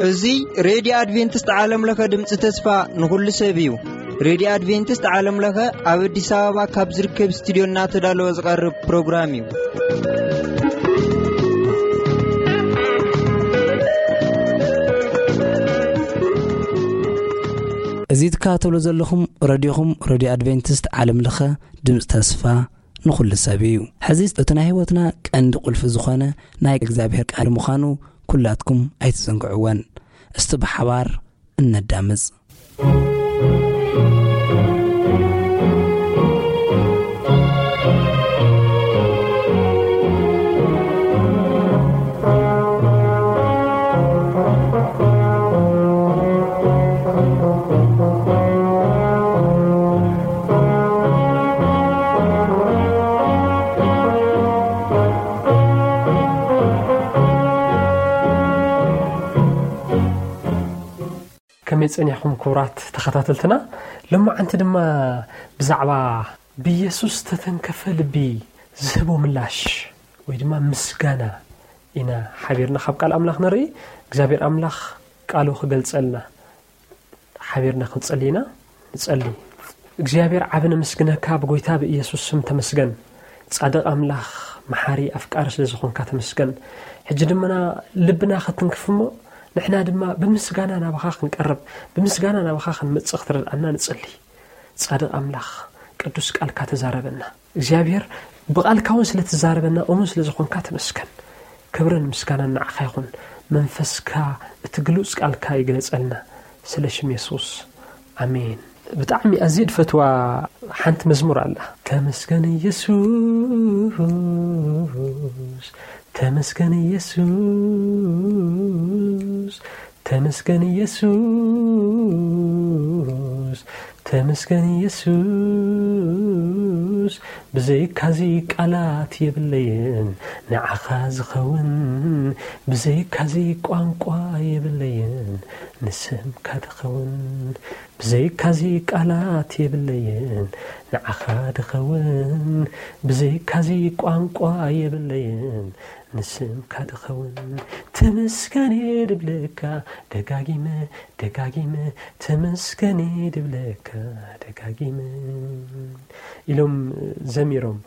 እዚ ሬድዮ ኣድቬንቲስት ዓለም ለኸ ድምፂ ተስፋ ንኹሉ ሰብ እዩ። ሬድዮ ኣድቬንቲስት ዓለም ለኸ ኣብ ኣዲስ ኣበባ ካብ ዝርከብ ስቱዲዮ እናተዳለወ ዝቐርብ ፕሮግራም እዩ። እዚ ትከታተሉ ዘለኹም ረድዮኹም ረድዮ ኣድቬንቲስት ዓለም ለኸ ድምፂ ተስፋ ንኹሉ ሰብ እዩ። ሕዚ እቲ ናይ ህይወትና ቀንዲ ቁልፊ ዝኾነ ናይ እግዚኣብሔር ቃል ምዃኑ ኩላትኩም ኣይትዘንግዕወን። እስቲ ብሓባር እነዳምፅ። ከመይ ጸኒሕኩም ክቡራት ተኸታተልትና? ሎማዓንቲ ድማ ብዛዕባ ብኢየሱስ ተተንከፈ ልቢ ዝህቦ ምላሽ ወይ ድማ ምስጋና ኢና ሓቢርና ካብ ቃል ኣምላኽ ንርኢ። እግዚኣብሔር ኣምላኽ ቃሉ ክገልጸልና ሓቢርና ክንጸሊ ኢና። ንጸሊ። እግዚኣብሔር ዓቢ ነመስግነካ ብጎይታ ብኢየሱስ ስም ተመስገን። ጻድቕ ኣምላኽ መሓሪ ኣፍቃሪ ስለ ዝኾንካ ተመስገን። ሕጂ ድማ ልብና ክትንክፍ እሞ ንሕና ድማ ብምስጋና ናባኻ ክንቀርብ ብምስጋና ናባኻ ክንመጽእ ክትረድኣና ንጸሊ። ጻድቕ ኣምላኽ ቅዱስ ቃልካ ተዛረበና። እግዚኣብሔር ብቓልካ እውን ስለ ትዛረበና እሙን ስለ ዝኾንካ ተመስገን። ክብርን ምስጋናን ንዓኻ ይኹን። መንፈስካ እቲ ግሉጽ ቃልካ ይግለጸልና። ስለ ሽም የሱስ ኣሜን። ብጣዕሚ ኣዝየ ድፈትዋ ሓንቲ መዝሙር ኣላ። ተመስገን ኢየሱስ፣ ተመስገን ኢየሱስ፣ ተመስገን ኢየሱስ፣ ተመስገን ኢየሱስ፣ ብዘይካዚ ቃላት የብለይን ንዓኻ ዝኸውን፣ ብዘይካዚ ቋንቋ የብለይን ንስምካ ዝኸውን፣ ብዘይካዚ ቃላት የብለይን ንዓኻ ዝኸውን፣ ብዘይካዚ ቋንቋ የብለይን ንስምካ ድኸውን። ተመስገን ድብለካ ደጋጊመ፣ ደጋጊመ፣ ተመስገን ድብለካ ደጋጊመ ኢሎም ዘሚሮም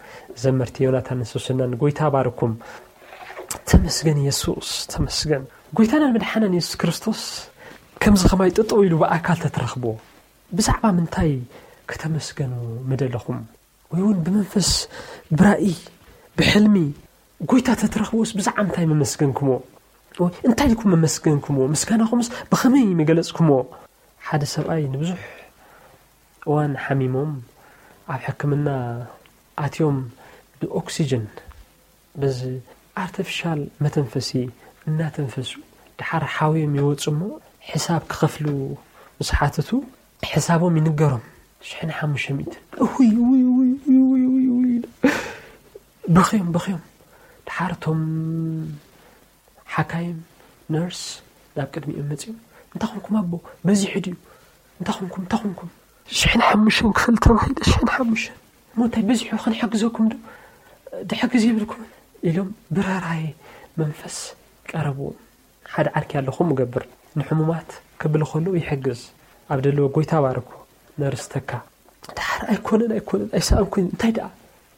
ዘመርቲ ዮናታን ሶስናን። ጎይታ ባርኩም። ተመስገን የሱስ፣ ተመስገን። ጎይታናን መድሓናን የሱስ ክርስቶስ ከምዚ ኸማይ ጠጠው ኢሉ ብኣካል ተትረኽቦ ብዛዕባ ምንታይ ከተመስገኑ ምደለኹም? ወይ እውን ብመንፈስ፣ ብራእይ፣ ብሕልሚ ጎይታ ተትረኽብዎስ ብዛዕባ እንታይ መመስገንኩሞ? ወይ እንታይ ኢልኩም መመስገንኩሞ? ምስጋናኹምስ ብኸመይ መገለጽኩሞ? ሓደ ሰብኣይ ንብዙሕ እዋን ሓሚሞም ኣብ ሕክምና ኣትዮም ብኦክሲጅን በዚ ኣርተፊሻል መተንፈሲ እናተንፈሱ ድሓር ሓውዮም ይወፁ እሞ ሕሳብ ክኸፍሉ ምስ ሓተቱ ሕሳቦም ይንገሮም። ሽሕን ሓሙሽተ ሚእትን። እውይ፣ እውይ፣ እውይ፣ እውይ፣ እውይ፣ እውይ፣ እውይ። በኽዮም፣ በኽዮም። ድሓር እቶም ሓካይም፣ ነርስ ናብ ቅድሚኦም መፂኦም፣ "እንታይ ኾንኩም ኣቦ? በዚሑ ድዩ? እንታይ ኾንኩም? እንታይ ኾንኩም?" "ሽሕን ሓሙሽተን ክፍል ተባሂሉ፣ ሽሕን ሓሙሽተን። እሞ እንታይ በዚሑ? ክንሕግዘኩም ዶ? ድሕግዝ የብልኩምን?" ኢሎም ብርህራሄ መንፈስ ቀረብዎም። ሓደ ዓርኪ ኣለኹም እገብር፣ ንሕሙማት ክብል ከሎ ይሕግዝ፣ ኣብ ደለዎ ጎይታ ባርኮ፣ ነርስ ተካ። ድሓር "ኣይኮነን፣ ኣይኮነን፣ ኣይሰኣንኩን፣ እንታይ ደኣ፣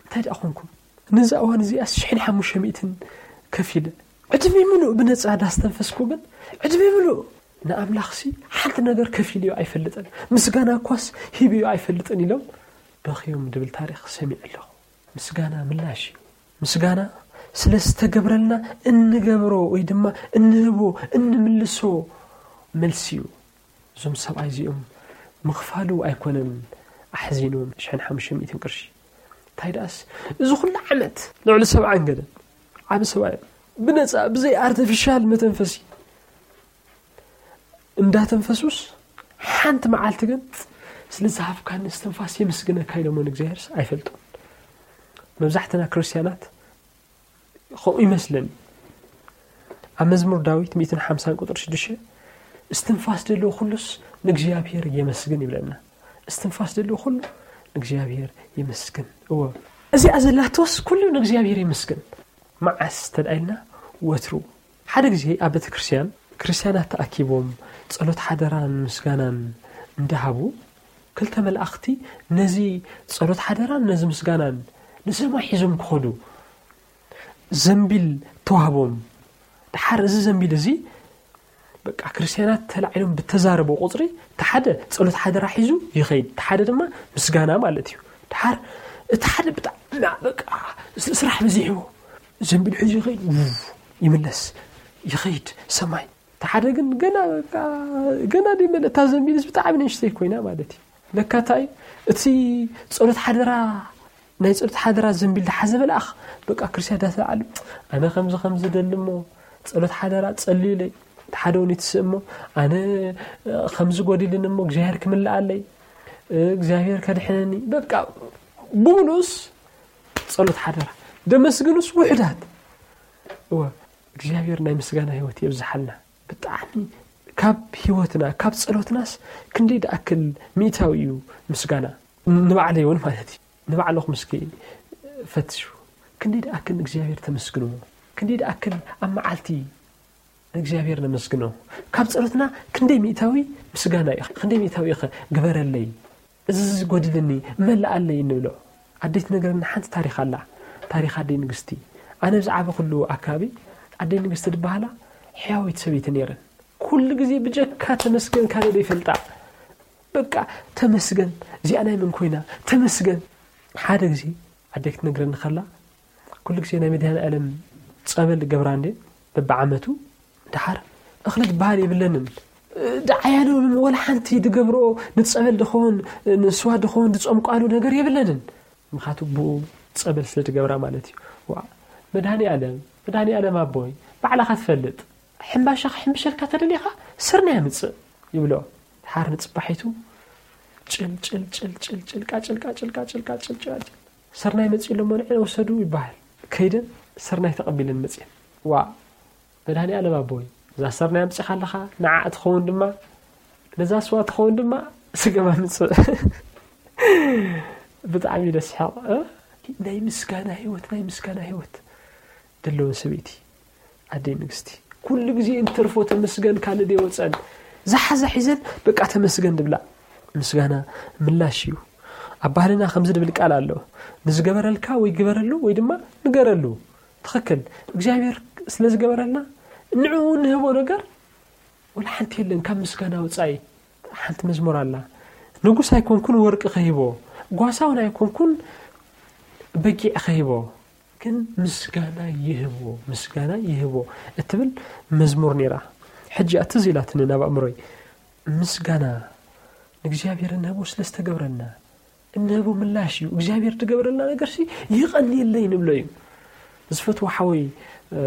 እንታይ ደኣ ኾንኩም? ነዛ እዋን እዚኣስ ሽሕን ሓሙሽተ ሚእትን ከፊለ፣ ዕድመይ ምሉእ ብነጻ ዳስተንፈስኩ፣ ግን ዕድመይ ምሉእ ንኣምላኽሲ ሓንቲ ነገር ከፊልዮ ኣይፈልጥን፣ ምስጋና እኳስ ሂብዮ ኣይፈልጥን" ኢሎም በኽዮም ድብል ታሪኽ ሰሚዐ ኣለኹ። ምስጋና ምላሽ እዩ። ምስጋና ስለ ዝተገብረልና እንገብሮ ወይ ድማ እንህቦ፣ እንምልሶ መልሲ እዩ። እዞም ሰብኣይ እዚኦም ምኽፋሉ ኣይኮነን ኣሕዚንዎም፣ ሽሕን ሓሙሽተ ሚእትን ቅርሺ። እንታይ ደኣስ፣ እዚ ኩሉ ዓመት፣ ልዕሊ ሰብዓን ገለን፣ ዓቢ ሰብኣይ፣ ብነጻ፣ ብዘይ ኣርቲፊሻል መተንፈሲ እንዳተንፈሱስ፣ ሓንቲ መዓልቲ ግን፣ "ስለ ዝሃብካኒ እስትንፋስ የመስግነካ" ኢሎሞ ንእግዚኣብሔርስ ኣይፈልጡን። መብዛሕትና ክርስትያናት ከምኡ ይመስለኒ። ኣብ መዝሙር ዳዊት ሚእትን ሓምሳን ቁጽሪ ሽዱሽተ፣ "እስትንፋስ ዘለዎ ኩሉስ ንእግዚኣብሔር የመስግን" ይብለና። እስትንፋስ ዘለዎ ኩሉ እግዚኣብሔር ይመስገን። እዎ፣ እዚኣ ዘላቶስ ኩሉ ንእግዚኣብሔር ይመስገን። መዓስ ተድኣልና? ወትሩ። ሓደ ግዜ ኣብ ቤተ ክርስቲያን ክርስቲያናት ተኣኪቦም ጸሎት ሓደራን ምስጋናን እንዳሃቡ፣ ክልተ መላእኽቲ ነዚ ጸሎት ሓደራን ነዚ ምስጋናን ንሰማይ ሒዞም ክኸዱ ዘንቢል ተዋህቦም። ድሓር እዚ ዘንቢል እዚ በቃ ክርስቲያናት ተላዒሎም ብተዛረቦ ቁጽሪ፣ ተሓደ ጸሎት ሓደራ ሒዙ ይኸይድ፣ ተሓደ ድማ ምስጋና ማለት እዩ። ድሓር እቲ ሓደ ብጣዕሚ በቃ ስ-፣ ስራሕ በዚሕዎ፣ ዘንቢል ሒዙ ይኸይድ፣ ውፍ፣ ይምለስ፣ ይኸይድ ሰማይ። ተሓደ ግን ገና በቃ፣ ገና ደይመለ እታ ዘንቢልስ ብጣዕሚ ንእሽተይ ኮይና ማለት እዩ። ለካ እንታይ እቲ ጸሎት ሓደራ፣ ናይ ጸሎት ሓደራ ዘንቢል ድሓዘ መልኣኽ በቃ ክርስቲያን ዳተላዓሉ፣ ኣነ ከምዚ ከምዚ ደሊ እሞ ጸሎት ሓደራ ጸልዩለይ። እቲ ሓደ እውን ይትስእ እሞ፣ ኣነ ከምዚ ጎዲልን እሞ እግዚኣብሔር ክምልኣለይ፣ እግዚኣብሔር ከድሕነኒ። በቃ ብሙሉእስ ጸሎት ሓደራ፣ ደመስግኑስ ውሑዳት። እወ፣ እግዚኣብሔር ናይ ምስጋና ህይወት የብዝሓልና። ብጣዕሚ ካብ ህይወትና፣ ካብ ጸሎትናስ ክንደይ ደኣክል ሚእታዊ እዩ ምስጋና። ንባዕለይ እውን ማለት እዩ። ንባዕልኹም እስኪ ፈትሹ። ክንደይ ደኣክል ንእግዚኣብሔር ተመስግንዎ? ክንደይ ደኣክል ኣብ መዓልቲ ንእግዚኣብሔር ነመስግኖ? ካብ ጸሎትና ክንደይ ሚእታዊ ምስጋና እዩ? ክንደይ ሚእታዊ እዩ? ግበረለይ፣ እዚ ዝጎድልኒ መላኣለይ እንብሎ። ኣደይ ትነግረና ሓንቲ ታሪኽ ኣላ። ታሪኽ ኣደይ ንግስቲ። ኣነ ኣብ ዝዓበኹሉ ኣካባቢ ኣደይ ንግስቲ ዝበሃላ ሕያወይቲ ሰበይቲ ነይረን። ኩሉ ግዜ ብጀካ ተመስገን ካልእ ዘይፈልጣ። በቃ ተመስገን፣ እዚኣ ናይ መን ኮይና? ተመስገን። ሓደ ግዜ ኣደይ ክትነግረኒ ከላ፣ ኩሉ ግዜ ናይ መድኃኔዓለም ጸበል ገብራ እንዴ፣ በብዓመቱ። ደሓር እኽሊ ዝበሃል የብለንን። ደዓያሉ ወላ ሓንቲ ድገብርኦ ንጸበል ድኸውን፣ ንስዋ ድኸውን ድጸምቋሉ ነገር የብለንን። ምኻቱ ብኡ ጸበል ስለ ድገብራ ማለት እዩ። ዋ፣ መድኃኔዓለም፣ መድኃኔዓለም ኣቦይ፣ ባዕላኻ ትፈልጥ። ሕምባሻ ክሕምብሸልካ ተደሊኻ ስርናይ ኣምጽእ ይብሎ። ደሓር ንጽባሒቱ ጭል፣ ጭል፣ ጭል፣ ጭል፣ ጭል፣ ቃጭል፣ ቃጭል፣ ቃጭል፣ ቃጭል፣ ቃጭል። ስርናይ መጺኡ ኣሎ፣ እሞ ንዕና ውሰዱ ይበሃል። ከይደን ስርናይ ተቐቢለን መጺአን። ዋ፣ መድኃኔዓለም ኣቦይ፣ እዛ ስርናይ ኣምጺኻ ኣለኻ፣ ንዓ ትኸውን ድማ፣ ነዛ ስዋ ትኸውን ድማ፣ ስገም ኣምጽእ። ብጣዕሚ ደስ ይሓቕ፣ እ? ናይ ምስጋና ህይወት፣ ናይ ምስጋና ህይወት ደለወን ሰበይቲ። ኣደይ ንግስቲ፣ ኩሉ ግዜ እንትርፎ ተመስገን ካልእ ደይወጸን። ዝሓዛ ሒዘን በቃ ተመስገን ድብላ። ምስጋና ምላሽ እዩ። ኣብ ባህልና ከምዚ ድብል ቃል ኣሎ። ንዝገበረልካ ወይ ግበረሉ ወይ ድማ ንገረሉ። ትኽክል። እግዚኣብሔር ስለ ዝገበረልና ንዕኡ ንህቦ ነገር ወላ ሓንቲ የለን ካብ ምስጋና ወጻኢ። ሓንቲ መዝሙር ኣላ። ንጉስ ኣይኮንኩን ወርቂ ክህቦ፣ ጓሳ እውን ኣይኮንኩን በጊዕ ክህቦ፣ ግን ምስጋና ይህቦ፣ ምስጋና ይህቦ እትብል መዝሙር ነይራ። ሕጂ እያ ትዝ ኢላትኒ ናብ ኣእምሮይ። ምስጋና ንእግዚኣብሔር እንህቦ ስለ ዝተገብረልና እንህቦ ምላሽ እዩ። እግዚኣብሔር ዝገበረልና ነገርሲ ይቐንየለይ ንብሎ እዩ። ዝፈትዎ ሓወይ፣ እ፣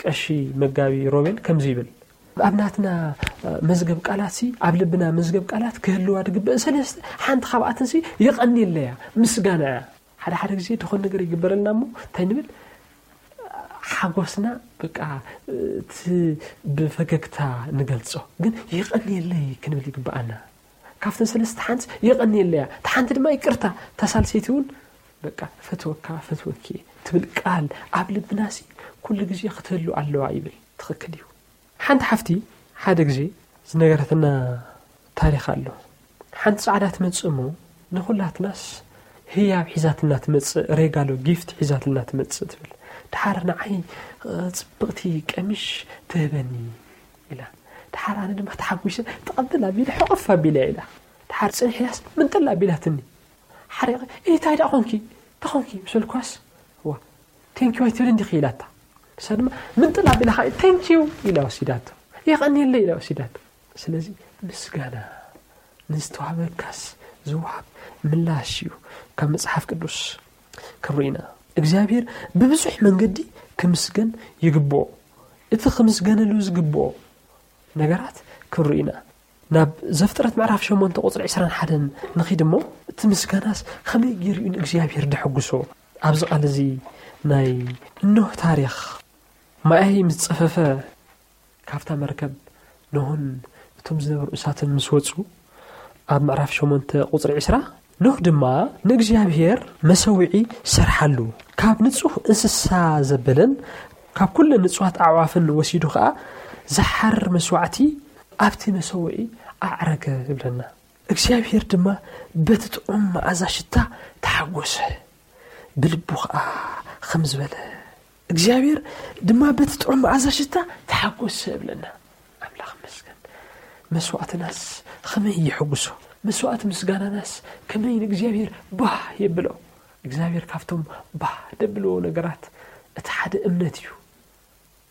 ቀሺ መጋቢ ሮቤል ከምዚ ይብል፣ ኣብ ናትና፣ እ፣ መዝገብ ቃላትሲ፣ ኣብ ልብና መዝገብ ቃላት ክህልዋ ዝግበእ ሰለስተ፣ ሓንቲ ካብኣተንሲ ይቐንየለይ እያ፣ ምስጋና እያ። ሓደ ሓደ ግዜ ዝኾነ ነገር ይግበረልና እሞ እንታይ ንብል? ሓጎስና በቃ፣ እ፣ እቲ ብፈገግታ ንገልጾ፣ ግን ይቐንየለይ ክንብል ይግበኣና። ካብተን ሰለስተ ሓንቲ የቐንየለያ፣ እታ ሓንቲ ድማ ይቅርታ። እታ ሳልሰይቲ እውን በቃ ፈትወካ፣ ፈትወኪ ትብል ቃል ኣብ ልብናሲ ኩሉ ግዜ ክትህሉ ኣለዋ ይብል። ትኽክል እዩ። ሓንቲ ሓፍቲ ሓደ ግዜ ዝነገረትና ታሪኽ ኣሎ። ሓንቲ ጻዕዳ ትመጽእ እሞ ንኹላትናስ ህያብ ሒዛትና ትመጽእ፣ ሬጋሎ ጊፍት ሒዛትና ትመጽእ ትብል። ደሓር ንዓይ፣ እ፣ ጽብቕቲ ቀሚሽ ትህበኒ ኢላ። ደሓር ኣነ ድማ ተሓጒሰ ተቐብል ኣቢለ ሕቕፍ ኣቢለ ኢላ። ደሓር ጽንሕ ኢላስ ምንጥል ኣቢላትኒ። ሓሪቐ፣ "እይ፣ እንታይ ደኣ ኾንኪ? እንታይ ኾንኪ?" ምስ በልኳስ፣ "ዋ፣ ቴንኪዩ ኣይትብል እንዲኺ?" ኢላታ። ንሳ ድማ ምንጥል ኣቢላ ኸኣ፣ "ቴንኪዩ" ኢላ ወሲዳቶ። "የቐንየለይ" ኢላ ወሲዳቶ። ስለዚ ምስጋና ንዝተዋህበካስ ዝወሃብ ምላሽ እዩ። ካብ መጽሓፍ ቅዱስ ክንርኢ ኢና። እግዚኣብሔር ብብዙሕ መንገዲ ክምስገን ይግብኦ። እቲ ክምስገነሉ ዝግብኦ ነገራት ክንርኢ ኢና። ናብ ዘፍጥረት ምዕራፍ ሸሞንተ ቁጽሪ ዕስራን ሓደን ንኺድ እሞ፣ እቲ ምስጋናስ ከመይ ገይሩ እዩ ንእግዚኣብሔር ደሐጉሶ? ኣብዚ ቃል እዚ ናይ ኖህ ታሪኽ፣ ማይ ምስ ጸፈፈ፣ ካብታ መርከብ ኖህን እቶም ዝነበሩ እንስሳትን ምስ ወጹ፣ ኣብ ምዕራፍ ሸሞንተ ቁጽሪ ዕስራ፣ ኖህ ድማ ንእግዚኣብሔር መሰውዒ ሰርሓሉ፣ ካብ ንጹህ እንስሳ ዘበለን ካብ ኩለን ንጹሃት ኣዕዋፍን ወሲዱ ኸኣ ዝሓርር መስዋዕቲ ኣብቲ መሰውዒ ኣዕረገ ይብለና። እግዚኣብሔር ድማ በቲ ጥዑም መኣዛ ሽታ ተሓጎሰ፣ ብልቡ ኸኣ ኸም ዝበለ። እግዚኣብሔር ድማ በቲ ጥዑም መኣዛ ሽታ ተሓጎሰ ይብለና። ኣምላኽ ይመስገን። መስዋእትናስ ኸመይ የሐጉሶ? መስዋእቲ ምስጋናናስ ከመይ ንእግዚኣብሔር ባህ የብሎ? እግዚኣብሔር ካብቶም ባህ ደብልዎ ነገራት እቲ ሓደ እምነት እዩ።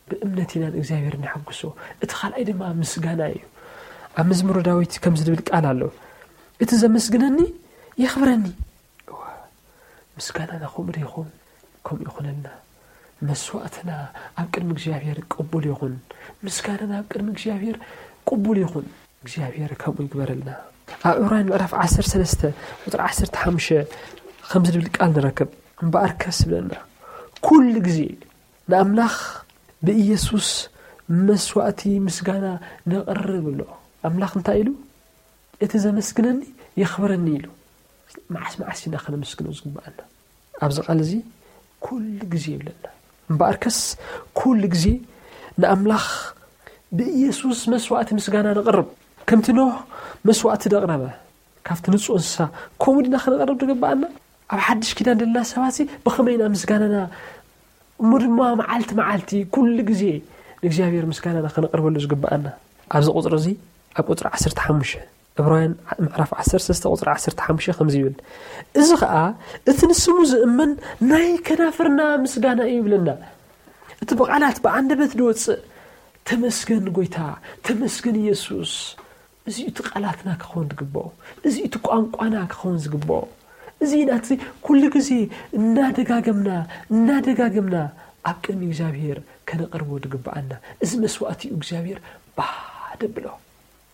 ብእምነት ኢና ንእግዚኣብሔር ነሐጉሶ። እቲ ካልኣይ ድማ ምስጋና እዩ። ኣብ መዝሙረ ዳዊት ከምዚ ዝብል ቃል ኣሎ፣ "እቲ ዘመስግነኒ የኽብረኒ።" እወ፣ ምስጋናና ከምኡ ዶ ይኸውን? ከምኡ ይኹነልና። መስዋእትና ኣብ ቅድሚ እግዚኣብሔር ቅቡል ይኹን። ምስጋናና ኣብ ቅድሚ እግዚኣብሔር ቅቡል ይኹን። እግዚኣብሔር ከምኡ ይግበረልና። ኣብ ዕብራውያን ምዕራፍ ዓሰርተ ሰለስተ ቁጽሪ ዓሰርተ ሓሙሽተ ከምዚ ዝብል ቃል ንረክብ። እምበኣርከስ ይብለና፣ "ኩሉ ግዜ ንኣምላኽ ብኢየሱስ መስዋእቲ ምስጋና ነቕርብ" ኣሎ። ኣምላኽ እንታይ ኢሉ? "እቲ ዘመስግነኒ የኽብረኒ" ኢሉ። መዓስ መዓስ ኢና ከነመስግኖ ዝግብኣና? ኣብዚ ቃል እዚ ኩሉ ግዜ ይብለና። እምበኣርከስ ኩሉ ግዜ ንኣምላኽ ብኢየሱስ መስዋእቲ ምስጋና ነቕርብ። ከምቲ ኖህ መስዋእቲ ደቕረበ ካብቲ ንጹህ እንስሳ፣ ከምኡ ድና ከነቕርብ ዝግብኣና? ኣብ ሓድሽ ኪዳን ዘለና ሰባት ብኸመይ ኢና ምስጋናና እሞ ድማ መዓልቲ መዓልቲ ኩሉ ግዜ ንእግዚኣብሔር ምስጋናና ከነቕርበሉ ዝግብኣና? ኣብዚ ቁጽሪ እዚ፣ ኣብ ቁጽሪ ዓሰርተ ሓሙሽተ፣ ዕብራውያን ምዕራፍ ዓሰርተ ሰለስተ ቁጽሪ ዓሰርተ ሓሙሽተ ከምዚ ይብል፣ "እዚ ኸኣ እቲ ንስሙ ዝእመን ናይ ከናፍርና ምስጋና እዩ" ይብለና። እቲ ብቓላት ብኣንደበት ዝወጽእ "ተመስገን ጎይታ፣ ተመስገን ኢየሱስ"፣ እዚ እቲ ቃላትና ክኸውን ዝግብኦ፣ እዚ እቲ ቋንቋና ክኸውን ዝግብኦ። እዚ ናቲ ኩሉ ግዜ እናደጋገምና፣ እናደጋገምና ኣብ ቅድሚ እግዚኣብሔር ከነቕርቦ ዝግብኣና። እዚ መስዋእቲ እዩ እግዚኣብሔር ባህ ደብሎ።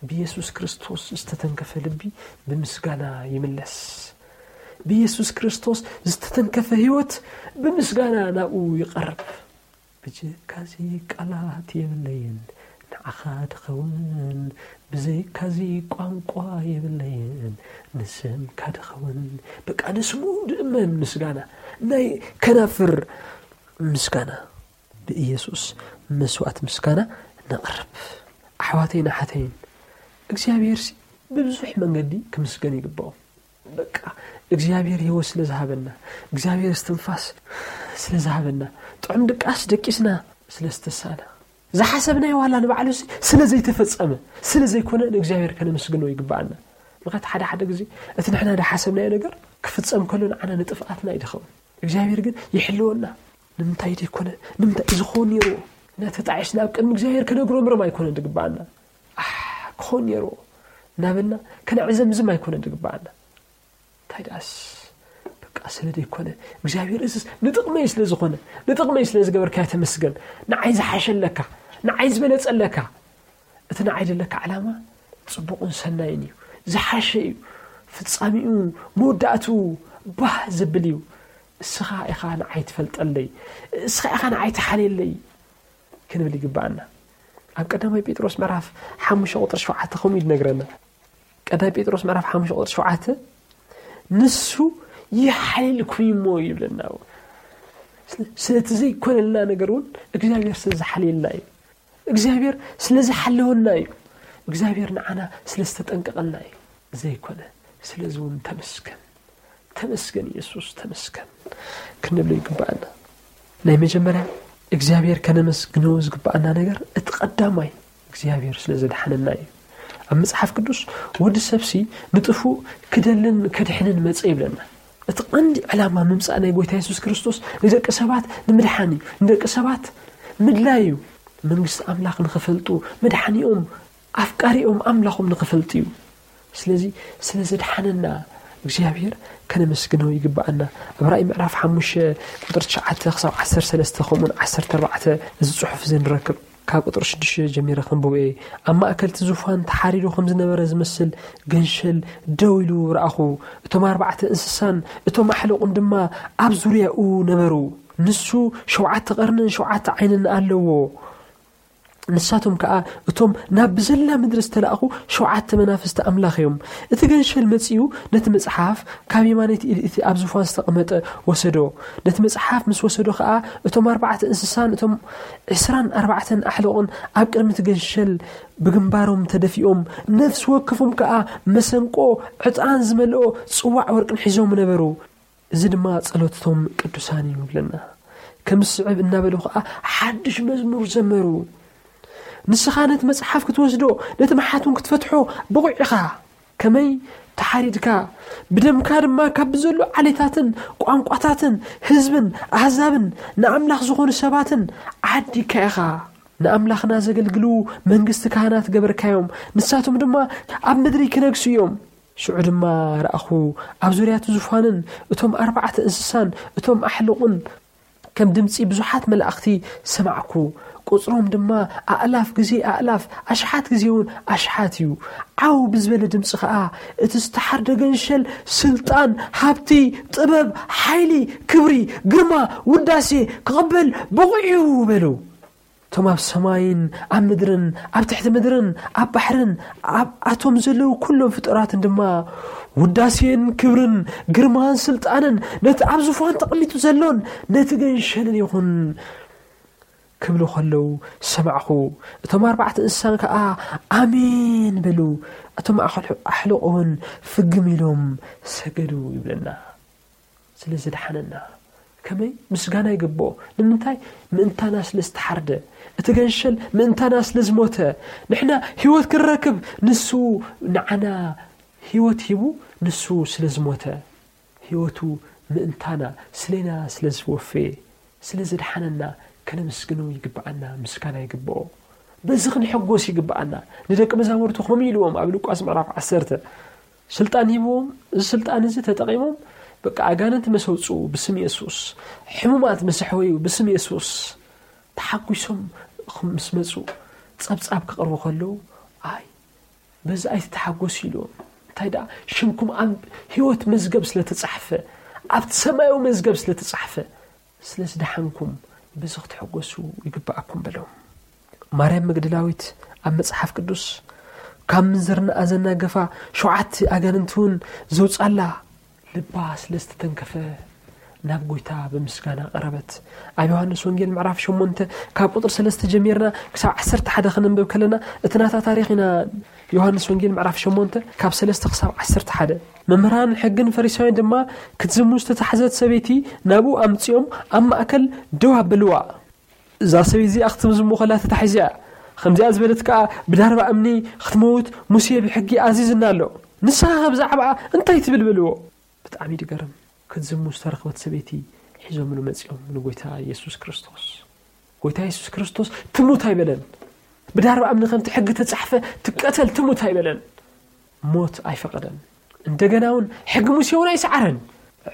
ብየሱስ ክርስቶስ ዝተተንከፈ ልቢ ብምስጋና ይምለስ። ብየሱስ ክርስቶስ ዝተተንከፈ ህይወት ብምስጋና ናብኡ ይቐርብ። ብጀካዚ ቃላት የብለይን ንዓኻ ድኸውን፣ ብዘይካዚ ቋንቋ የብለይን ንስምካ ድኸውን። በቃ ንስሙ ድእመን ምስጋና፣ ናይ ከናፍር ምስጋና፣ ብኢየሱስ መስዋእቲ ምስጋና ነቕርብ። ኣሕዋተይን ኣሓተይን፣ እግዚኣብሔርሲ ብብዙሕ መንገዲ ክምስገን ይግብኦ። በቃ እግዚኣብሔር ህይወት ስለ ዝሃበና፣ እግዚኣብሔር እስትንፋስ ስለ ዝሃበና፣ ጥዑም ድቃስ ደቂስና ስለ ዝተሳና፣ ዝሓሰብናዮ ዋላ ንባዕሉሲ ስለ ዘይተፈጸመ፣ ስለ ዘይኮነ ንእግዚኣብሔር ከነመስግኖ ይግብኣና። ምኽንያቱ ሓደ ሓደ ግዜ እቲ ንሕና ዝሓሰብናዮ ነገር ክፍጸም ከሎ ንዓና ንጥፍኣትና እዩ ዝኸውን። እግዚኣብሔር ግን ይሕልወና። ንምንታይ ዘይኮነ? ንምንታይ እዩ ዝኸውን ነይርዎ? እና ተጣዒስና ኣብ ቅድሚ እግዚኣብሔር ከነጉረምርም ኣይኮነን ዝግብኣና። ኣሕ፣ ክኸውን ነይርዎ እናበልና ከነዕዘምዝም ኣይኮነን ዝግብኣና። እንታይ ደኣስ በቃ ስለ ዘይኮነ እግዚኣብሔር እዝስ ንጥቕመይ ስለ ዝኾነ፣ ንጥቕመይ ስለ ዝገበርካዮ ተመስገን። ንዓይ ዝሓሸለካ፣ ንዓይ ዝበለጸለካ፣ እቲ ንዓይ ዘለካ ዕላማ ጽቡቕን ሰናይን እዩ፣ ዝሓሸ እዩ፣ ፍጻሜኡ መወዳእትኡ ባህ ዘብል እዩ። እስኻ ኢኻ ንዓይ ትፈልጠለይ፣ እስኻ ኢኻ ንዓይ ትሓልየለይ ክንብል ይግብኣና። ኣብ ቀዳማይ ጴጥሮስ ምዕራፍ ሓሙሽተ ቁጥሪ ሸውዓተ ከምኡ እዩ ዝነግረና። ቀዳማይ ጴጥሮስ ምዕራፍ ሓሙሽተ ቁጥሪ ሸውዓተ፣ "ንሱ ይሓልየልኩም እሞ" ይብለና። ስለ-፣ ስለቲ ዘይኮነልና ነገር እውን እግዚኣብሔር ስለ ዝሓልየልና እዩ። እግዚኣብሔር ስለ ዝሓለወና እዩ። እግዚኣብሔር ንዓና ስለ ዝተጠንቀቐልና እዩ። ዘይኮነ፣ ስለዚ እውን ተመስገን፣ ተመስገን ኢየሱስ፣ ተመስገን ክንብሎ ይግብኣና። ናይ መጀመርያ እግዚኣብሔር ከነመስግኖ ዝግብኣና ነገር፣ እቲ ቀዳማይ እግዚኣብሔር ስለ ዘድሓነና እዩ። ኣብ መጽሓፍ ቅዱስ፣ "ወዲ ሰብሲ ንጥፉእ ክደልን ከድሕንን መጸ" ይብለና። እቲ ቀንዲ ዕላማ ምምጻእ ናይ ጎይታ የሱስ ክርስቶስ ንደቂ ሰባት ንምድሓን እዩ፣ ንደቂ ሰባት ምድላይ እዩ። መንግስቲ ኣምላኽ ንኽፈልጡ፣ መድሓኒኦም፣ ኣፍቃሪኦም ኣምላኾም ንኽፈልጡ እዩ። ስለዚ ስለ ዘድሓነና እግዚኣብሔር ከነመስግኖ ይግብኣና። ኣብ ራእይ ምዕራፍ ሓሙሽተ ቁጥሪ ትሽዓተ ክሳብ ዓሰርተ ሰለስተ ከምኡውን ዓሰርተ ኣርባዕተ እዚ ጽሑፍ እዚ ንረክብ። ካብ ቁጥሪ ሽዱሽተ ጀሚረ ከንብቦ እየ። ኣብ ማእከል እቲ ዙፋን ተሓሪዱ ከም ዝነበረ ዝመስል ገንሸል ደው ኢሉ ረኣኹ። እቶም ኣርባዕተ እንስሳን እቶም ኣሕለቑን ድማ ኣብ ዙርያኡ ነበሩ። ንሱ ሸውዓተ ቀርንን ሸውዓተ ዓይንን ኣለዎ። ንሳቶም ከኣ እቶም ናብ ብዘላ ምድሪ ዝተላእኹ ሸውዓተ መናፍስቲ ኣምላኽ እዮም። እቲ ገንሸል መጺኡ ነቲ መጽሓፍ ካብ የማነይቲ ኢድ እቲ ኣብ ዙፋን ዝተቐመጠ ወሰዶ። ነቲ መጽሓፍ ምስ ወሰዶ ከኣ እቶም ኣርባዕተ እንስሳን እቶም ዕስራን ኣርባዕተን ኣሕለቑን ኣብ ቅድሚ እቲ ገንሸል ብግንባሮም ተደፊኦም፣ ነፍሲ ወከፎም ከኣ መሰንቆ ዕጣን ዝመልኦ ጽዋዕ ወርቅን ሒዞም ነበሩ። እዚ ድማ ጸሎትቶም ቅዱሳን እዩ ይብለና። ከም ዝስዕብ እናበሉ ከኣ ሓድሽ መዝሙር ዘመሩ። ንስኻ ነቲ መጽሓፍ ክትወስዶ፣ ነቲ መሓቱን ክትፈትሖ ብቑዕ ኢኻ። ከመይ ተሓሪድካ፣ ብደምካ ድማ ካብ ብዘሎ ዓሌታትን ቋንቋታትን ህዝብን ኣህዛብን ንኣምላኽ ዝኾኑ ሰባትን ዓዲካ ኢኻ። ንኣምላኽና ዘገልግሉ መንግስቲ ካህናት ገበርካዮም፣ ንሳቶም ድማ ኣብ ምድሪ ክነግሱ እዮም። ሽዑ ድማ ረኣኹ፣ ኣብ ዙርያቱ ዙፋንን እቶም ኣርባዕተ እንስሳን እቶም ኣሕልቑን ከም ድምጺ ብዙሓት መላእኽቲ ሰማዕኩ። ቁጽሮም ድማ ኣእላፍ ግዜ ኣእላፍ፣ ኣሽሓት ግዜ እውን ኣሽሓት እዩ። ዓው ብዝበለ ድምጺ ኸኣ፣ እቲ ዝተሓርደ ገንሸል ስልጣን፣ ሃብቲ፣ ጥበብ፣ ሓይሊ፣ ክብሪ፣ ግርማ፣ ውዳሴ ክቕበል ብቑዕ እዩ በሉ። እቶም ኣብ ሰማይን ኣብ ምድርን ኣብ ትሕቲ ምድርን ኣብ ባሕርን ኣብ ኣቶም ዘለዉ ኩሎም ፍጡራትን ድማ፣ ውዳሴን ክብርን ግርማን ስልጣንን ነቲ ኣብ ዙፋን ተቐሚጡ ዘሎን ነቲ ገንሸልን ይኹን ክብሉ ከለዉ ሰማዕኹ። እቶም ኣርባዕተ እንስሳን ከኣ ኣሜን በሉ። እቶም ኣሕል-፣ ኣሕልቑ እውን ፍግም ኢሎም ሰገዱ ይብለና። ስለ ዘድሓነና። ከመይ ምስጋና ይግብኦ። ንምንታይ? ምእንታና ስለ ዝተሓርደ። እቲ ገንሸል ምእንታና ስለ ዝሞተ። ንሕና ህይወት ክንረክብ ንሱ ንዓና ህይወት ሂቡ፣ ንሱ ስለ ዝሞተ። ህይወቱ ምእንታና፣ ስሌና ስለ ዝወፈየ፣ ስለ ዘድሓነና ከነመስግኖ ይግብኣና፣ ምስጋና ይግብኦ። በዚ ክንሕጎስ ይግብኣና። ንደቂ መዛሙርቱ ከምኡ ኢልዎም ኣብ ሉቃስ ምዕራፍ ዓሰርተ። ስልጣን ሂብዎም፣ እዚ ስልጣን እዚ ተጠቒሞም በቃ ኣጋንንቲ መሰውፅኡ ብስም የሱስ፣ ሕሙማት መሰሕወዩ ብስም የሱስ። ተሓጒሶም ምስ መፁ ጸብጻብ ክቕርቡ ከለዉ፣ ኣይ፣ በዚ ኣይትተሓጎሱ ኢልዎም። እንታይ ደኣ ሽምኩም ኣብ ህይወት መዝገብ ስለ ተጻሕፈ፣ ኣብቲ ሰማያዊ መዝገብ ስለ ተጻሕፈ፣ ስለ ዝደሓንኩም በዚ ክትሕጎሱ ይግብኣኩም በሎም። ማርያም መግደላዊት ኣብ መጽሓፍ ቅዱስ ካብ ምንዝርና ዘናገፋ ሸውዓተ ኣጋንንቲ እውን ዘውጻላ ልባ ስለ ዝተተንከፈ ናብ ጎይታ ብምስጋና ቀረበት። ኣብ ዮሃንስ ወንጌል ምዕራፍ ሸሞንተ ካብ ቁጥሪ ሰለስተ ጀሚርና ክሳብ ዓሰርተ ሓደ ከነንብብ ከለና እቲ ናታ ታሪኽ ኢና። ዮሃንስ ወንጌል ምዕራፍ ሸሞንተ ካብ ሰለስተ ክሳብ ዓሰርተ ሓደ። መምህራን ሕግን ፈሪሳውያን ድማ ክትዝሙ ዝተታሕዘት ሰበይቲ ናብኡ ኣምጺኦም ኣብ ማእከል ደው ኣበልዋ። እዛ ሰበይቲ እዚኣ ክትዝሙ ከላ ተታሒዛ እያ። ከምዚኣ ዝበለት ከኣ ብዳርባ እምኒ ክትመውት ሙሴ ብሕጊ ኣዚዝና ኣሎ። ንስኻ ከ ብዛዕባኣ እንታይ ትብል በልዎ። ብጣዕሚ ድገርም። ክትዝሙ ዝተረኽበት ሰበይቲ ሒዞምሉ መጺኦም ንጎይታ የሱስ ክርስቶስ። ጎይታ የሱስ ክርስቶስ ትሙት ኣይበለን። ብዳርባ እምኒ ከምቲ ሕጊ ተጻሕፈ ትቀተል ትሙት ኣይበለን። ሞት ኣይፈቐደን። እንደገና እውን ሕጊ ሙሴ እውን ኣይሰዓረን።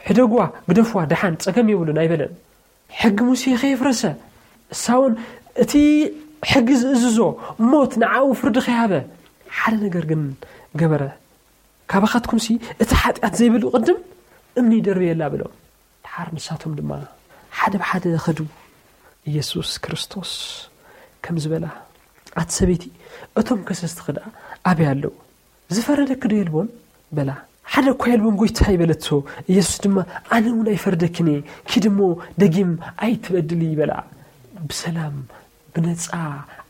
ሕደግዋ፣ ግደፍዋ፣ ደሓን ጸገም የብሉን ኣይበለን። ሕጊ ሙሴ ከየፍረሰ፣ እሳ እውን እቲ ሕጊ ዝእዝዞ ሞት ንዓኡ ፍርዲ ከይሃበ ሓደ ነገር ግን ገበረ። ካባኻትኩምሲ እቲ ሓጢኣት ዘይብሉ ቅድም እምኒ ይደርብየላ በሎም። ደሓር ንሳቶም ድማ ሓደ ብሓደ ኸዱ። ኢየሱስ ክርስቶስ ከምዚ በላ፣ ኣቲ ሰበይቲ፣ እቶም ከሰስትኺ ደኣ ኣበይ ኣለዉ? ዝፈረደኪ ዶ የልቦን? በላ። ሓደ እኳ የልቦን ጎይታይ በለቶ። ኢየሱስ ድማ ኣነ እውን ኣይፈርደኪን እየ፣ ኪዲ እሞ ደጊም ኣይትበድሊ በላ። ብሰላም ብነጻ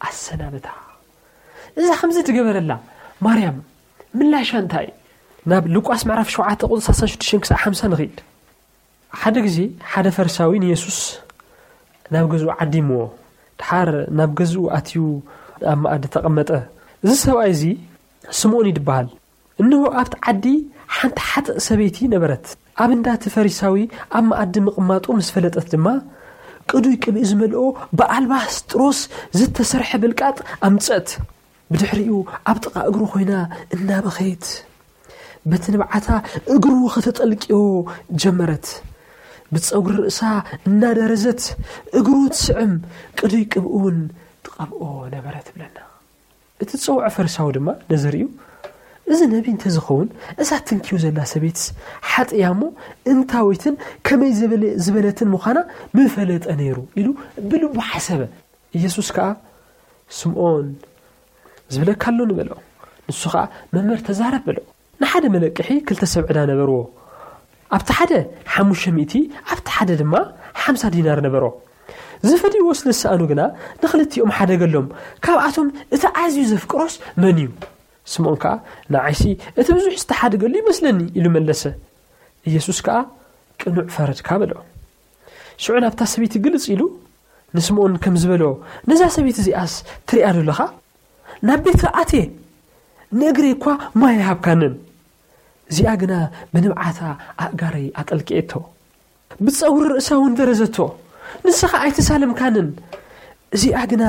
ኣሰናበታ። እዛ ከምዚ ትገበረላ ማርያም ምላሻ እንታይ? ናብ ሉቃስ ምዕራፍ ሸውዓተ ቁጽሪ ሰላሳ ሽዱሽተ ክሳብ ሓምሳ ንኺድ። ሓደ ግዜ ሓደ ፈሪሳዊ ንየሱስ ናብ ገዝኡ ዓዲምዎ። ድሓር ናብ ገዝኡ ኣትዩ ኣብ መኣዲ ተቐመጠ። እዚ ሰብኣይ እዚ ስምዖን ይድበሃል። እንሆ ኣብቲ ዓዲ ሓንቲ ሓጥእ ሰበይቲ ነበረት። ኣብ እንዳ እቲ ፈሪሳዊ ኣብ መኣዲ ምቕማጡ ምስ ፈለጠት ድማ ቅዱይ ቅብኢ ዝመልኦ ብኣልባስጥሮስ ዝተሰርሐ ብልቃጥ ኣምጸት። ብድሕሪኡ ኣብ ጥቓ እግሩ ኮይና እናበኸየት በቲ ንብዓታ እግሩ ከተጠልቅዮ ጀመረት። ብጸጉሪ ርእሳ እናደረዘት እግሩ ትስዕም፣ ቅዱይ ቅብኡ እውን ትቐብኦ ነበረ ትብለና። እቲ ዝጸውዖ ፈሪሳዊ ድማ ነዚ ርእዩ፣ እዚ ነቢ እንተዝኸውን እዛ ትንክዮ ዘላ ሰበይትስ ሓጥእ እያ እሞ እንታወይትን ከመይ ዝበለ-፣ ዝበለትን ምዃና ምፈለጠ ነይሩ ኢሉ ብልቡ ሓሰበ። ኢየሱስ ከኣ ስምዖን፣ ዝብለካ ኣሎ ንበሎ። ንሱ ኸኣ፣ መምህር፣ ተዛረብ በሎ። ንሓደ መለቅሒ ክልተ ሰብ ዕዳ ነበርዎ። ኣብቲ ሓደ ሓሙሽተ ሚእቲ፣ ኣብቲ ሓደ ድማ ሓምሳ ዲናር ነበሮ። ዝፈድይዎ ስለ ዝሰኣኑ ግና ንኽልቲኦም ሓደገሎም። ካብኣቶም እቲ ኣዝዩ ዘፍቅሮስ መን እዩ? ስምዖን ከኣ፣ ንዓይሲ እቲ ብዙሕ ዝተሓደገሉ ይመስለኒ ኢሉ መለሰ። ኢየሱስ ከኣ፣ ቅኑዕ ፈረድካ በሎ። ሽዑ ናብታ ሰበይቲ ግልጽ ኢሉ ንስምዖን ከም ዝበሎ፣ ነዛ ሰበይቲ እዚኣስ ትሪኣ ዶ ኣለኻ? ናብ ቤት ኣትየ ንእግረይ እኳ ማይ ኣይሃብካንን። እዚኣ ግና ብንብዓታ ኣእጋረይ ኣጠልቅኤቶ። ብጸጉሪ ርእሳ እውን ደረዘቶ። ንስኻ ኣይተሳለምካንን። እዚኣ ግና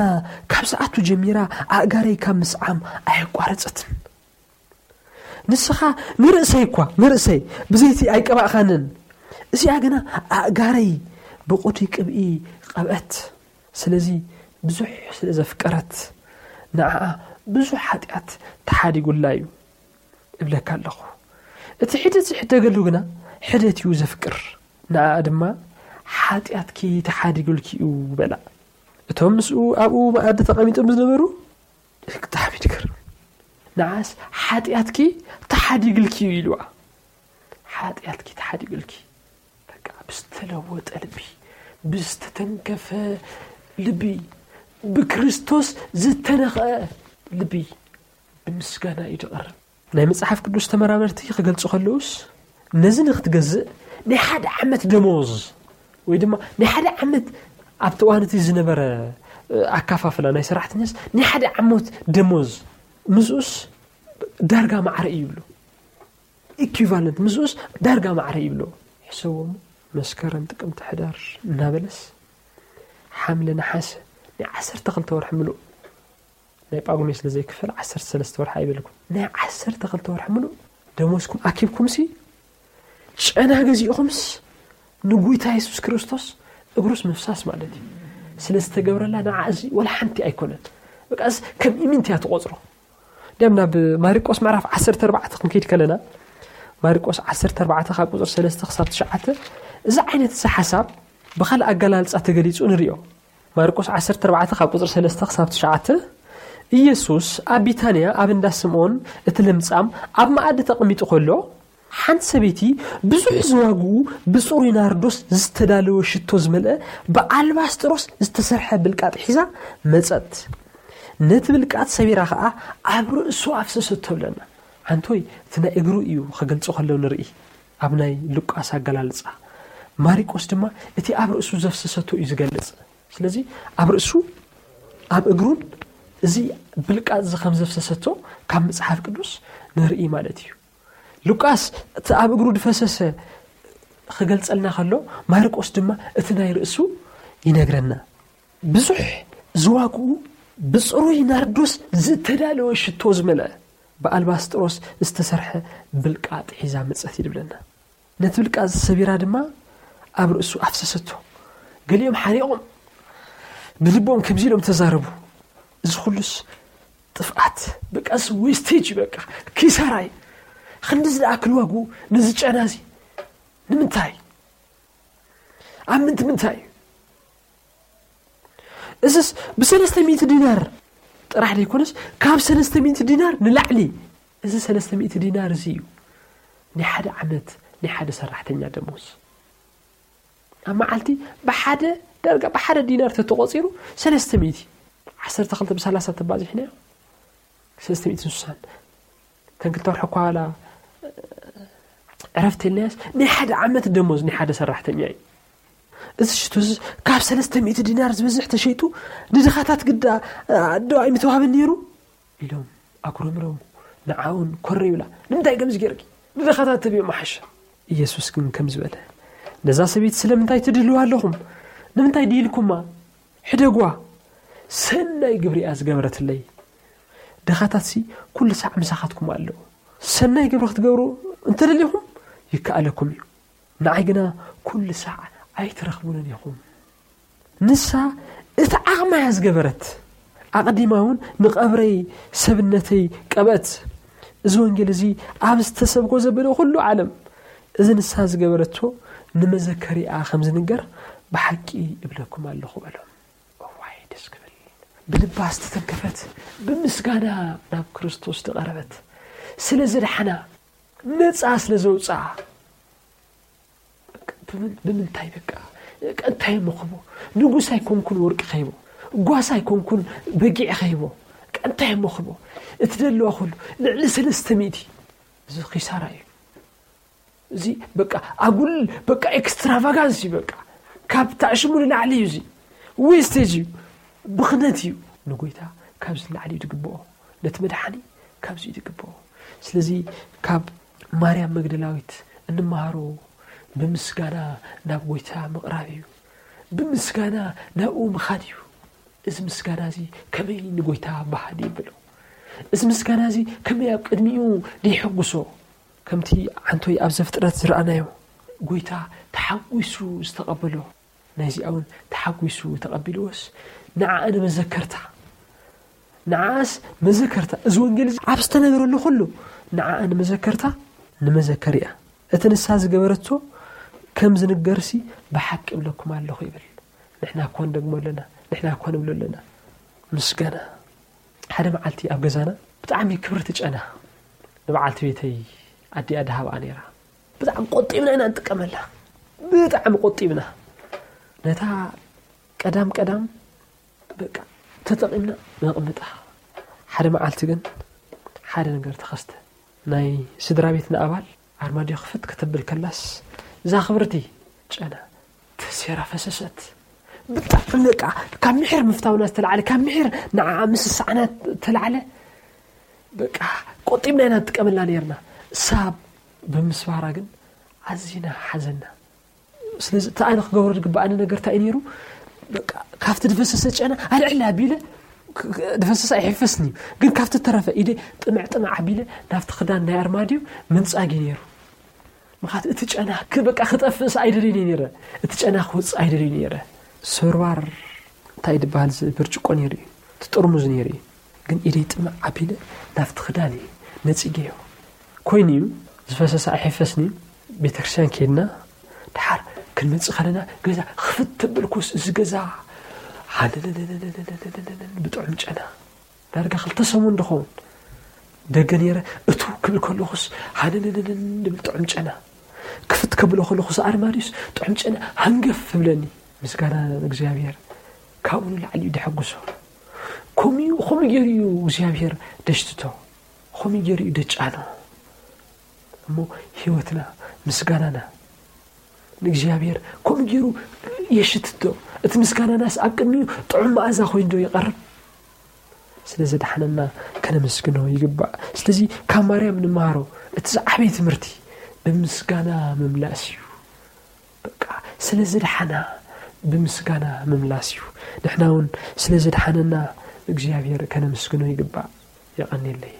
ካብ ሰዓቱ ጀሚራ ኣእጋረይ ካብ ምስዓም ኣየቋረጸትን። ንስኻ ንርእሰይ እኳ፣ ንርእሰይ ብዘይቲ ኣይቀባእኻንን። እዚኣ ግና ኣእጋረይ ብቑዲ ቅብኢ ቀብአት። ስለዚ ብዙሕ ስለ ዘፍቀረት፣ ንዓኣ ብዙሕ ሓጢኣት ተሓዲጉላ እዩ እብለካ ኣለኹ። እቲ ሕደት ዝሕደገሉ ግና ሕደት እዩ ዘፍቅር። ንዓኣ ድማ ሓጢኣትኪ ተሓዲጉልኪ እዩ በላ። እቶም ምስኡ ኣብኡ መኣዲ ተቐሚጦም ዝነበሩ፣ ብጣዕሚ ድገርም። ንዓስ ሓጢኣትኪ ተሓዲግልኪ እዩ ኢልዋ። ሓጢኣትኪ ተሓዲግልኪ። በቃ ብዝተለወጠ ልቢ፣ ብዝተተንከፈ ልቢ፣ ብክርስቶስ ዝተነኽአ ልቢ ብምስጋና እዩ ዝቐርብ። ናይ መጽሓፍ ቅዱስ ተመራመርቲ ክገልጹ ከለውስ፣ ነዚ ንኽትገዝእ ናይ ሓደ ዓመት ደሞዝ ወይ ድማ ናይ ሓደ ዓመት ኣብቲ እዋን እቲ ዝነበረ፣ እ፣ ኣካፋፍላ ናይ ሰራሕተኛስ ናይ ሓደ ዓመት ደሞዝ ምስኡስ ዳርጋ ማዕረ እዩ ይብሉ። ኢኩቫለንት ምስኡስ ዳርጋ ማዕረ ይብሉ። ሕሰቦም መስከረም፣ ጥቅምቲ፣ ሕዳር እናበለስ ሓምለ፣ ነሓሰ ናይ ዓሰርተ ክልተ ወርሒ ምሉእ ናይ ጳጉሜ ስለ ዘይክፈል ዓሰርተ ሰለስተ ወርሒ ኣይበልኩም። ናይ ዓሰርተ ክልተ ወርሒ ምሉእ ደሞዝኩም ኣኪብኩምሲ ጨና ገዚእኹምስ ንጉይታ የሱስ ክርስቶስ እግሩስ ምፍሳስ ማለት እዩ። ስለ ዝተገብረላ ንዓ እዚ ወላ ሓንቲ ኣይኮነን። በቃ እዚ ከም ኢምንት እያ ትቆጽሮ። ደም ናብ ማርቆስ ምዕራፍ ዓሰርተ ኣርባዕተ ክንከይድ ከለና፣ ማርቆስ ዓሰርተ ኣርባዕተ ካብ ቁጽሪ ሰለስተ ክሳብ ትሽዓተ፣ እዚ ዓይነት እዚ ሓሳብ ብኻልእ ኣገላልጻ ተገሊጹ ንሪኦ። ማርቆስ ዓሰርተ ኣርባዕተ ካብ ቁጽሪ ሰለስተ ክሳብ ትሽዓተ፣ ኢየሱስ ኣብ ቢታንያ ኣብ እንዳ ስምዖን እቲ ለምጻም ኣብ መኣዲ ተቐሚጡ ከሎ፣ ሓንቲ ሰበይቲ ብዙሕ ዝዋግኡ ብጽሩይ ናርዶስ ዝተዳለወ ሽቶ ዝመልአ ብኣልባስጥሮስ ዝተሰርሐ ብልቃጥ ሒዛ መጸት። ነቲ ብልቃጥ ሰቢራ ኸኣ ኣብ ርእሱ ኣፍሰሰቶ ብለና። ሓንቶይ እቲ ናይ እግሩ እዩ ክገልጾ ከሎ ንርኢ። ኣብ ናይ ሉቃስ ኣገላልጻ፣ ማርቆስ ድማ እቲ ኣብ ርእሱ ዘፍሰሰቶ እዩ ዝገልጽ። ስለዚ ኣብ ርእሱ፣ ኣብ እግሩን እዚ ብልቃጥ እዚ ከም ዘፍሰሰቶ ካብ መጽሓፍ ቅዱስ ንርኢ ማለት እዩ። ሉቃስ እቲ ኣብ እግሩ ዝፈሰሰ ክገልጸልና ከሎ፣ ማርቆስ ድማ እቲ ናይ ርእሱ ይነግረና። ብዙሕ ዝዋግኡ ብጽሩይ ናርዶስ ዝተዳለወ ሽቶ ዝመልአ ብኣልባስጥሮስ ዝተሰርሐ ብልቃጥ ሒዛ መጸት ይድብለና። ነቲ ብልቃጥ ሰቢራ ድማ ኣብ ርእሱ ኣፍሰሰቶ። ገሊኦም ሓሪቖም ብልቦም ከምዚ ኢሎም ተዛረቡ፣ "እዚ ኩሉስ ጥፍኣት፣ በቃ እዚ ዌስቴጅ፣ በቃ ኪሳራይ። ክንዲ ዝደኣ ክልዋጉ ነዚ ጨና እዚ ንምንታይ? ኣብ ምንቲ ምንታይ እዩ? እዝስ ብሰለስተ ሚእቲ ዲናር ጥራሕ ዘይኮነስ ካብ ሰለስተ ሚእቲ ዲናር ንላዕሊ፣ እዚ ሰለስተ ሚእቲ ዲናር እዚ እዩ ናይ ሓደ ዓመት ናይ ሓደ ሰራሕተኛ ደሞዝ። ኣብ መዓልቲ ብሓደ ዳርጋ ብሓደ ዲናር ተተቖጺሩ ሰለስተ ሚእቲ፣ ዓሰርተ ክልተ ብሰላሳ ተባዚሕናዮ ሰለስተ ሚእትን ስሳን። እተን ክልተ ወርሒ እኳ ዋላ ዕረፍቲ ኢልናያስ ናይ ሓደ ዓመት ደሞዝ ናይ ሓደ ሰራሕተኛ እዩ። እዚ ሽቶ እዚ ካብ ሰለስተ ሚእቲ ዲናር ዝበዝሕ ተሸይጡ ንድኻታት ግዳ ኣዶ ኣይምተዋህበን ነይሩ?" ኢሎም ኣጉረምረሙ። ንዓኡን ኮረ ይብላ። "ንምንታይ ከምዚ ጌርኪ? ንድኻታት ተብዮ መሓሸ?" ኢየሱስ ግን ከምዚ በለ፣ "ነዛ ሰበይቲ ስለምንታይ ትድልዋ ኣለኹም? ንምንታይ ድኢልኩማ? ሕደጓ። ሰናይ ግብሪ እያ ዝገበረትለይ። ድኻታትሲ ኩሉ ሳዕ ምሳኻትኩም ኣለዉ። ሰናይ ግብሪ ክትገብሩ እንተደሊኹም ይከኣለኩም እዩ። ንዓይ ግና ኩሉ ሳዕ ኣይትረኽቡንን ኢኹም። ንሳ እቲ ዓቕማ እያ ዝገበረት። ኣቐዲማ እውን ንቐብረይ ሰብነተይ ቀብአት። እዚ ወንጌል እዚ ኣብ ዝተሰብኮ ዘበለ ኩሉ ዓለም፣ እዚ ንሳ ዝገበረቶ ንመዘከሪኣ ከም ዝንገር ብሓቂ እብለኩም ኣለኹ" በሎም። እዋይ፣ ደስ ክብል። ብልባ ዝተተንከፈት፣ ብምስጋና ናብ ክርስቶስ ዝቐረበት፣ ስለ ዝደሓና፣ ነጻ ስለ ዘውፅኣ፣ ብምንታይ በቃ እንታይ መኽቦ? ንጉስ ኣይኮንኩን ወርቂ ኸይቦ፣ ጓሳ ኣይኮንኩን በጊዕ ኸይቦ፣ እንታይ መኽቦ? እቲ ደለዋ ኩሉ ልዕሊ ሰለስተ ሚእቲ፣ እዚ ኺሳራ እዩ። እዚ በቃ ኣጉል በቃ ኤክስትራቫጋንስ እዩ። በቃ ካብ ታዕሽሙ ንላዕሊ እዩ። እዚ ዌስቴጅ እዩ፣ ብኽነት እዩ። ንጎይታ ካብዚ ንላዕሊ እዩ ዝግብኦ፣ ነቲ መድሓኒ ካብዚ እዩ ዝግብኦ። ስለዚ ካብ ማርያም መግደላዊት እንመሃሮ ብምስጋና ናብ ጎይታ ምቕራብ እዩ። ብምስጋና ናብኡ ምኻድ እዩ። እዚ ምስጋና እዚ ከመይ ንጎይታ ባህል ይብሎ? እዚ ምስጋና እዚ ከመይ ኣብ ቅድሚኡ ደይሕጉሶ? ከምቲ ዓንቶይ ኣብ ዘፍጥረት ዝረኣናዮ፣ ጎይታ ተሓጒሱ ዝተቐበሎ፣ ናይዚኣ እውን ተሓጒሱ ተቐቢልዎስ፣ ንዓኣ ንመዘከርታ፣ ንዓኣስ መዘከርታ፣ እዚ ወንጌል እዚ ኣብ ዝተነገረሉ ኩሉ ንዓኣ ንመዘከርታ፣ ንመዘከር እያ። እቲ ንሳ ዝገበረቶ ከም ዝንገርሲ ብሓቂ እብለኩም ኣለኹ ይብል። ንሕና እኳ ንደግሞ ኣለና፣ ንሕና እኳ ንብሎ ኣለና። ምስጋና። ሓደ መዓልቲ ኣብ ገዛና ብጣዕሚ ክብርቲ ጨና ንበዓልቲ ቤተይ ኣዲኣ ድሃብኣ ነይራ። ብጣዕሚ ቆጢብና ኢና ንጥቀመላ። ብጣዕሚ ቆጢብና። ነታ ቀዳም ቀዳም በቃ ተጠቒምና ነቕምጣ። ሓደ መዓልቲ ግን ሓደ ነገር ተኸስተ። ናይ ስድራ ቤትና ኣባል ኣርማድዮ ክፍት ከተብል ከላስ፣ እዛ ክብርቲ ጨና ተሴራ ፈሰሰት። ብጣዕሚ በቃ ካብ ምሒር ምፍታውና ዝተላዕለ፣ ካብ ምሒር ንዓኣ ምስሳዕና ዝተላዕለ በቃ ቆጢብና ኢና ንጥቀመላ ነይርና። እሳ ብምስባራ ግን ኣዚና ሓዘና። ስለዚ እቲ ኣነ ክገብሮ ዝግብኣኒ ነገር እንታይ እዩ ነይሩ? በቃ ካብቲ ዝፈሰሰ ጨና ኣልዕል ኣቢለ፣ ክ-፣ ክ-፣ ዝፈሰሰ ኣይሕፈስን እዩ፣ ግን ካብቲ ተረፈ ኢደ ጥምዕ ጥምዕ ኣቢለ ናብቲ ክዳን ናይ ኣርማድዮ ምንጻግ እዩ ነይሩ። ምኽንያቱ እቲ ጨና ክ-፣ በቃ ክጠፍእስ ኣይደልን እየ ነይረ። እቲ ጨና ክወጽእ ኣይደልን እየ ነይረ። ስብርባር እንታይ ዝበሃል ዝ-፣ ብርጭቆ ነይሩ እዩ፣ እቲ ጥርሙዝ ነይሩ እዩ። ግን ኢደይ ጥምዕ ኣቢለ ናብቲ ክዳን እዩ ነጺገዮ። ኮይኑ እዩ፣ ዝፈሰሰ ኣይሕፈስን እዩ። ቤተክርስትያን ከይድና፣ ድሓር ክንመጽእ ከለና፣ ገዛ ክፍት ተበልኩስ፣ እዚ ገዛ ሃነነነነነነነነን ብጥዑም ጨና። ዳርጋ ክልተ ሰሙን ድኸውን ደገ ነይረ። እቱ ክብል ከለኹስ፣ ሃነነነነን ዝብል ጥዑም ጨና። ክፍት ከብሎ ከለኹስ፣ ኣርማድዮስ ጥዑም ጨና ሃንገፍ እብለኒ። ምስጋና ንእግዚኣብሔር፣ ካብኡ ንላዕሊ እዩ ደሐጉሶ። ከምኡ እዩ፣ ከምኡ ገይሩ እዩ እግዚኣብሔር ደሽትቶ። ከምኡ ገይሩ እዩ ደጫኖ። እሞ ህይወትና፣ ምስጋናና ንእግዚኣብሔር ከምኡ ገይሩ የሽትቶ። እቲ ምስጋናናስ ኣብ ቅድሚኡ ጥዑም መኣዛ ኮይኑ ዶ ይቐርብ? ስለ ዘድሓነና ከነመስግኖ ይግባእ። ስለዚ ካብ ማርያም ንመሃሮ እቲ ዝዓበየ ትምህርቲ ብምስጋና ምምላስ እዩ። በቃ ስለ ዘድሓና ብምስጋና ምምላስ እዩ። ንሕና እውን ስለ ዘድሓነና እግዚኣብሔር ከነመስግኖ ይግባእ። የቐንየለይ።